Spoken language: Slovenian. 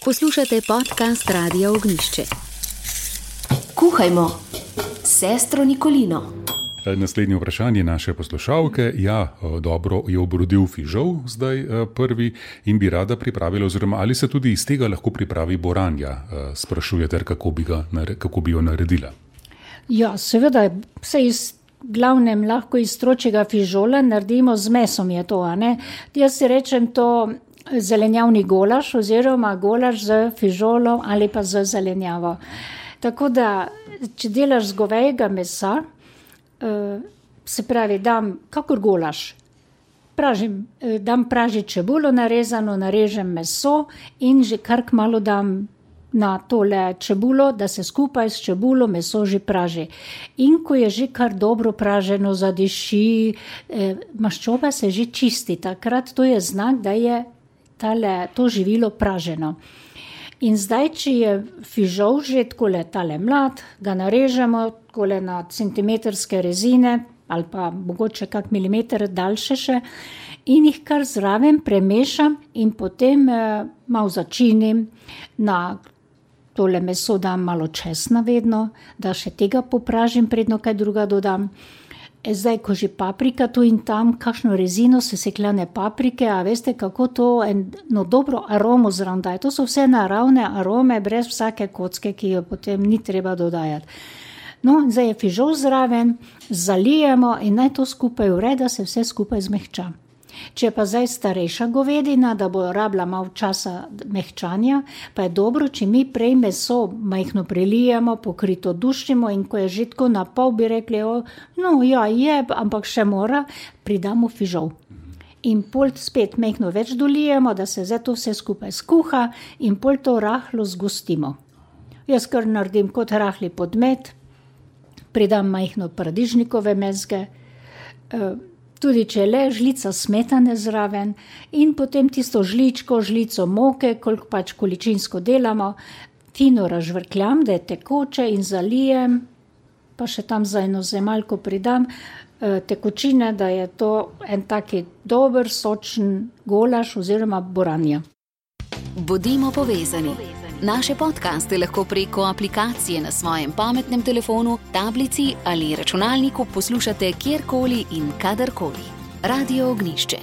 Poslušate podcast Radia Ognjišče. Kuhajmo s sestro Nikolino. Naslednje vprašanje naše poslušalke. Dobro je obrodil fižol, zdaj prvi, in bi rada pripravila, oziroma ali se tudi iz tega lahko pripravi boranja, sprašujete, kako bi jo naredila. Ja, seveda, se iz glavnem lahko iz stročjega fižola naredimo z mesom, je to, a ne? Jaz si rečem to zelenjavni golaž oziroma golaž z fižolom ali pa z zelenjavo. Tako da, če delaš z govejega mesa, se pravi, dam kakor golaž, dam pražiti čebulo narezano, narežem meso in že kar kmalu dam na tole čebulo, da se skupaj s čebulo meso že praži. In ko je že kar dobro praženo, zadiši, maščoba se že čisti, takrat to je znak, da je to živilo praženo. In zdaj, če je fižol že takole tale mlad, ga narežemo takole na centimetrske rezine ali pa mogoče kak milimeter daljše še in jih kar zraven premešam in potem malo začinim. Na tole meso dam malo česna vedno, da še tega popražim, predno kaj druga dodam. Zdaj, ko že paprika tu in tam, kakšno rezino sesekljane paprike, a veste, kako to eno dobro aromo zraven daje. To so vse naravne arome, brez vsake kocke, ki jo potem ni treba dodajati. No, zdaj je fižol zraven, zalijemo in naj to skupaj vre, da se vse skupaj zmehča. Če pa zdaj starejša govedina, da bo rabila malo časa mehčanja, pa je dobro, če mi prej meso majhno prelijemo, pokrito dušimo in ko je že tako na pol, bi rekli, ampak še mora, pridamo fižol. In pol spet majhno več dolijemo, da se zdaj to vse skupaj skuha in pol to rahlo zgostimo. Jaz kar naredim kot rahli podmet, pridam majhno paradižnikove mezge, tudi če je le žlica smetane zraven in potem tisto žlico moke, koliko pač količinsko delamo, fino razžvrkljam, da je tekoče in zalijem, pa še tam za eno zemalko pridam tekočine, da je to en taki dober, sočen golaž oziroma boranja. Bodimo povezani. Naše podcaste lahko preko aplikacije na svojem pametnem telefonu, tablici ali računalniku poslušate kjerkoli in kadarkoli. Radio Ognjišče.